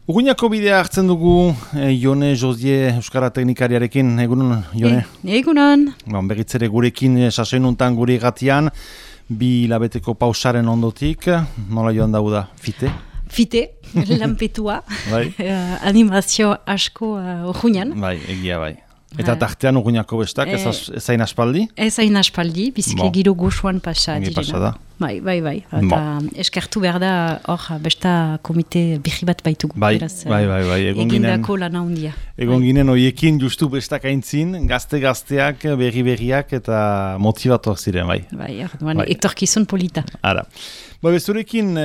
Urruñako bidea hartzen dugu Jone Josie Euskara Teknikariarekin. Egunon, Jone? Egunon. Begitzere gurekin sasoinuntan gure gatian, 2 hilabeteko pausaren ondotik, nola joan dauda, fite? Fite, lanpetua, Bai. animazio asko urruñan. Bai, egia bai. Eta tartean Urruñako bestak, ezain aspaldi? Ezain aspaldi, biziki giro goxuan pasa direna. Pasa da. Bai. Eta eskertu behar da, hor, besta komite bihi bat baitugu. Bai. Egindako lana hundia. Egon ginen hoiekin justu bestak aintzin, gazte-gazteak, berri-berriak eta motivatuak ziren, bai. Bai, etorkizun polita. Ara. Bezurekin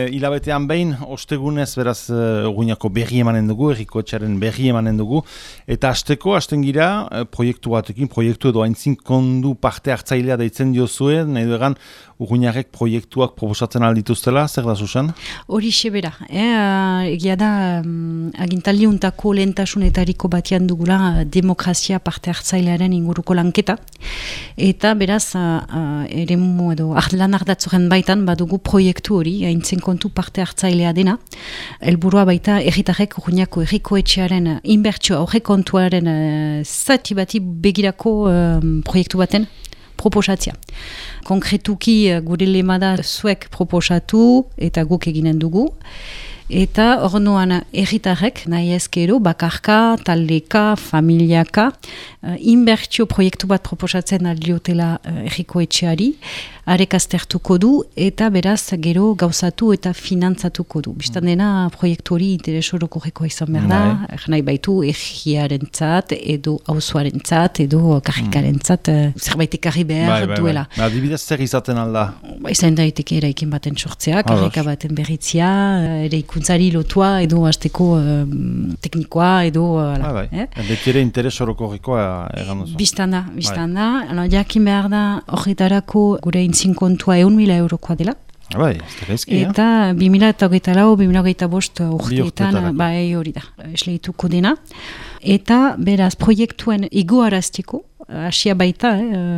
hilabetean behin, ostegunez beraz Urruñako berri emanen dugu, Herrikoetxearen berri emanen dugu, eta hasten gira proiektu batekin, proiektu edo aintzin kondu parte hartzailea deitzen diozue, nahi duegan Urruñarek proiektuak proposatzen aldituztela, zer da Susan? Hori sebera, egia da agintaldi untako lehentasunetariko batian dugula demokrazia parte hartzailearen inguruko lanketa, eta beraz eremu edo lan ardatzoren baitan badugu proiektu hori, haintzen kontu parte hartzailea dena, helburua baita herritarrek Urruñako Herrikoetxearen inbertsio aurrekontuaren zati bati begirako proiektu baten proposatzea. Konkretuki gure lema da zuek proposatu eta guk eginen dugu. Eta orduan herritarrek nahi ezkero, bakarka, taldeka, familiaka, inbertsio proiektu bat proposatzen aldiotela Herrikoetxeari, arek aztertuko du eta beraz gero gauzatu eta finantzatuko du. Bistan dena proiektu hori interes orokorrekoa izan behar da, nahi baitu herriarentzat edo auzoarentzat edo karrikarentzat zerbait ekarri behar duela. Adibidez zer izaten alda? Izan daiteke eraikin baten sortzea, karrika baten berritzia, eraikuntzari lotua edo hasteko teknikoa edo... Betiere interes orokorrekoa egan duzu. Bistan da. Jakin behar da horretarako gure kontua 1.000 eurokoa dela. Bai, ez da gaizki, eta 2024 urteetan, hori da, esleituko dena. Eta beraz, proiektuen egoarazteko, hasia baita,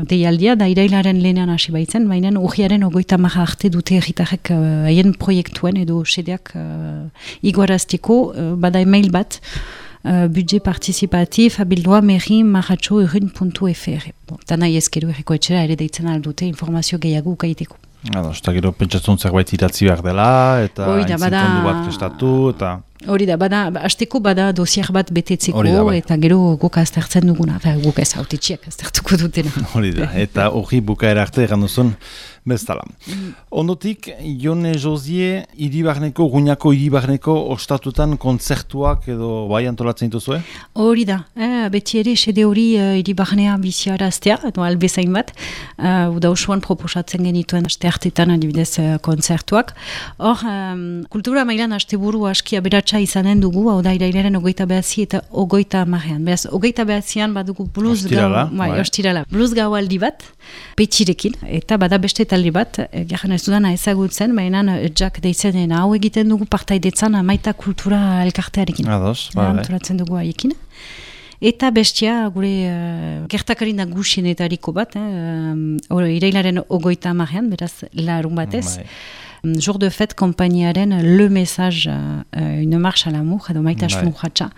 deialdia, da irailaren lehenan hasi baitzen, baina urriaren 30 arte dute herritarrek haien proiektuen edo sedeak egoarazteko, bada email bat, budget participatif abildua meri@urrun.fr. Eta nahi ezkero Herrikoetxera ere deitzen aldute informazio gehiago ukaiteko. Eta gero pentsatzen zerbait idatzi behar dela, eta kondu bat prestatu, eta... Hori da, hasteko bada dosier bat betetzeko, eta gero guk aztertzen duguna, guk ez autetxiak aztertuko dutena. Hori da, eta hori bukaera arte egan duzun bezala. Ondotik, Jone Josie, Urruñako hiribarneko ostatutan kontzertuak edo bai antolatzen dituzue? Hori da, beti ere sede hori hiribarnea biziaraztea, edo albezain bat, uda osoan proposatzen genituen aste hartetan adibidez kontzertuak. Hor, kultura mailan asteburu aski aberatsa izanen dugu, hau da irailaren 29 eta 30. Beraz, 29an badugu blues gau aldi bat, petxirekin, eta bada beste talde bat, garen ez dudana ezagutzen, baina Jack deitzen hau egiten dugu partaidetzan Maita Kultura elkartearekin. Antolatzen dugu haiekin. Eta bestia gure gertakari nagusienetariko bat, irailaren 30an, beraz larun batez, Jour de fête kompainiaren Le Message, une marche à l'amour, edo maitasun urratxa,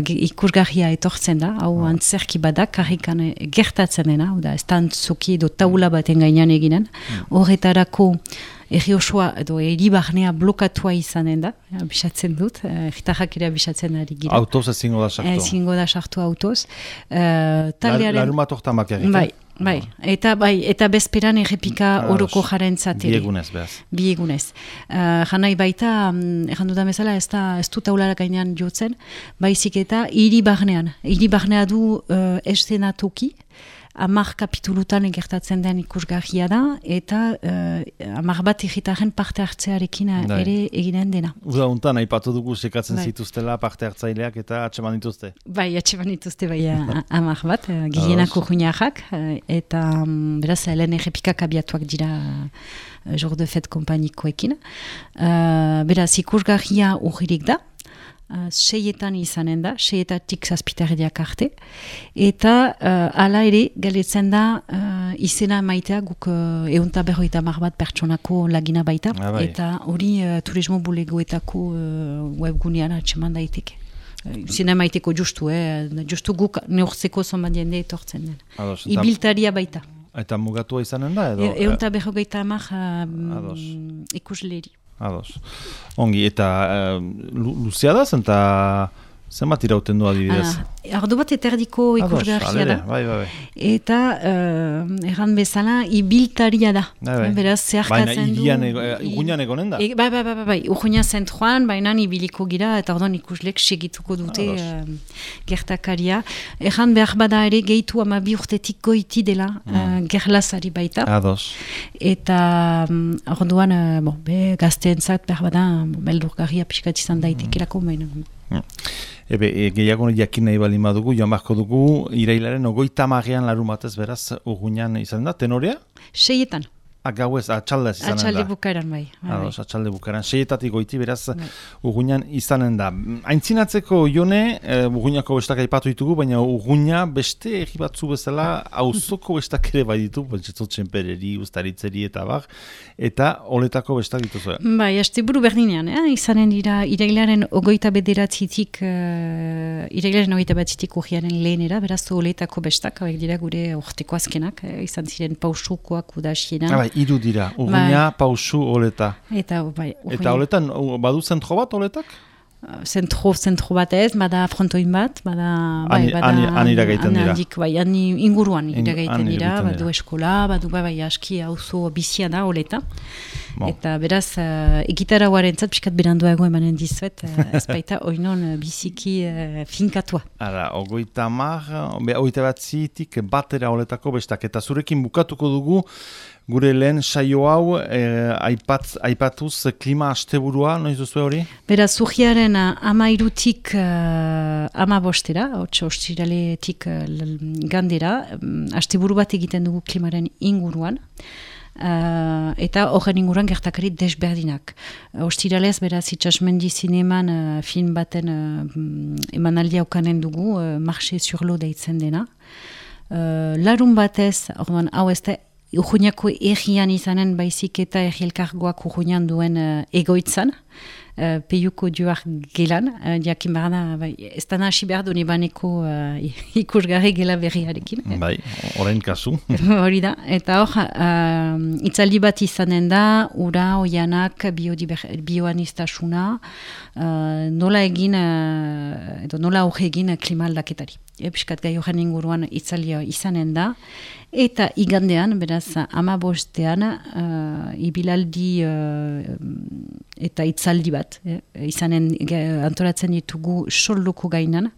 ikusgarria etortzen da, hau antzerki badak, karrikan gertatzen dena, ez da antzoki edo taula baten gainean eginen, horretarako erri osoa edo hiribarnea blokatua izanen da, abisatzen dut, erritarrak ere abisatzen ari gira. Autoz ezingo da sartu. Ezingo da sartu autoz. Larumat hortan bakarrik. Eta bezperan errepika oroko jaren zateri. Bi egunez. Janai baita, errandu da bezala, ez du taulara gainean jotzen, baizik eta hiribarnea du estenatoki, 10 kapitulutan egertatzen den ikusgarria da, eta 10 bat herritaren parte hartzearekin ere eginen dena. Uda untan, aipatu dugu sekatzen zituztela parte hartzaileak eta atseman dituzte? Atseman dituzte, 10 bat, gilenak urruñarrak, eta beraz, lehen errepikak abiatuak dira Jour de fête kompainikoekin. Beraz, ikusgarria urririk da, seietan izanen da, seietatik zazpitardiak arte, eta hala ere, galetzen da izena maitea guk 150 bat pertsonako lagina baita, eta hori turismo bulegoetako webgunean atseman daiteke. Izena maiteko justu guk neurtzeko zonbat jende etortzen den. Ibiltaria baita. Eta mugatua izanen da edo? 150 ikusleri. Ados. Ongi, eta luzea da zen, eta zenbat irauten du adibidez? Ardo bat eterdiko ikusgarria da. Bai. Eta erran bezala ibiltaria da. Beraz, zeharkatzen du. Baina Urruñan egonen da? Bai. Urruña zentroan, baina ibiliko gira, eta orduan ikuslek segituko dute gertakaria. Erran behar bada ere gehitu 12 urtetik goiti dela gerlazari baita. Ados. Eta orduan gazteentzat behar bada beldurgarria pixkat izan daitekelako baina. Gehiago jakin nahi baldin badugu, joan beharko dugu, irailaren 30 larun batez beraz Urruñan izan da, tenorea? 6etan. Gauez, atxaldez izanen da. Atxalde bukaeran, bai. Atxalde bukaeran, 6etatik goiti beraz Urruñan izanen da. Aintzinatzeko Jone, Urruñako bestak aipatu ditugu, baina Urruña beste egi batzu bezala auzoko bestak ere bai ditu, txenpereri, ustaritzeri eta bar, eta oletako bestak dituzu. Bai, asteburu berdinean, izanen dira irailaren 29tik urriaren lehenera, beraz oletako bestak, hauek dira gure urteko azkenak, izan ziren pausukoak udasienan. Iru dira, Urruña, pausu, oleta. Eta oletan, badu zentro bat, oletak? Zentro bat ez, bada frontoin bat, han iragaiten dira. Han inguruan iragaiten dira, badu eskola, badu aski auzo bizia da, oleta. Eta beraz, egitara guarentzat, piskat berandua emanen dizuet, ez baita oinon biziki finkatua. Ara, 30, batera oletako bestak, eta zurekin bukatuko dugu, gure lehen saio hau aipatuz klima asteburua, noiz duzu hori? Beraz, urriaren 13tik 15, ostiraletik gandera, asteburu bat egiten dugu klimaren inguruan, eta horren inguruan gertakari desberdinak. Ostiralez, beraz, Itsasmendi zineman film baten emanaldia ukanen dugu, Marche sur l'eau deitzen dena. Larun batez, orduan, hau ez da, Urruñako errian izanen baizik eta erri elkargoak Urruñan duen egoitzan, peiuko duar gelan, jakin barana, ez da nahasi behar duen ebaneko ikusgarri gela berriarekin. Bai, orain kasu. Hori da, eta hor, itzaldi bat izanen da, ura, oianak, bioanistasuna, nola egin, edo nola aurre egin klima aldaketari. Piskat gai horren inguruan itzalia izanen da, eta igandean, beraz, 15ean, ibilaldi eta itzaldi bat, izanen antolatzen ditugu soldoko gainan,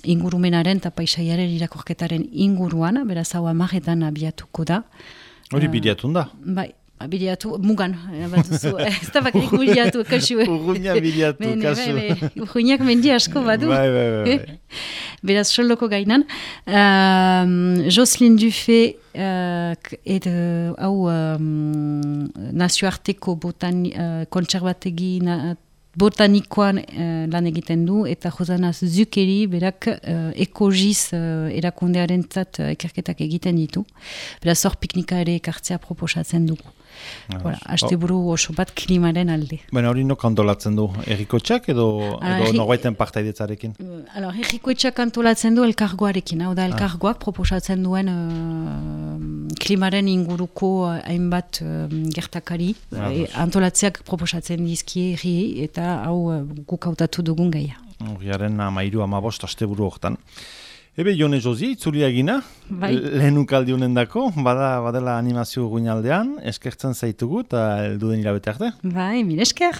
ingurumenaren eta paisaiaren irakorketaren inguruan, beraz, hau 10etan abiatuko da. Hori bideatun da? Bai. Bideatu, mugan, bat duzu, ez da bakarik bideatu, kasu. Urruña bideatu, kasu. Urruñak mendi asko badu. Bai. Beraz, soldoko gainan. Jocelyn Dufay, hau nazioarteko kontserbategi botanikoan lan egiten du, eta Josana Zukeri berak ekogiz erakundearen zat ekerketak egiten ditu. Beraz, hor piknika ere ekartzea proposatzen dugu. Asteburu oso bat klimaren alde. Baina hori nok antolatzen du? Errikotxak edo norbaiten partaidetzarekin? Errikotxak antolatzen du elkargoarekin. Hau da, elkargoak proposatzen duen klimaren inguruko hainbat gertakari. Antolatzeak proposatzen dizkie erri eta hau guk hautatu dugun gaia. Horriaren 13-15 asteburu hortan. Ebe, Jone Josi, itzulia egina, lehenuk aldiunen dako, badela animazio guinaldean, eskertzen zaitugu eta elduden hilabete arte. Bai, mil esker.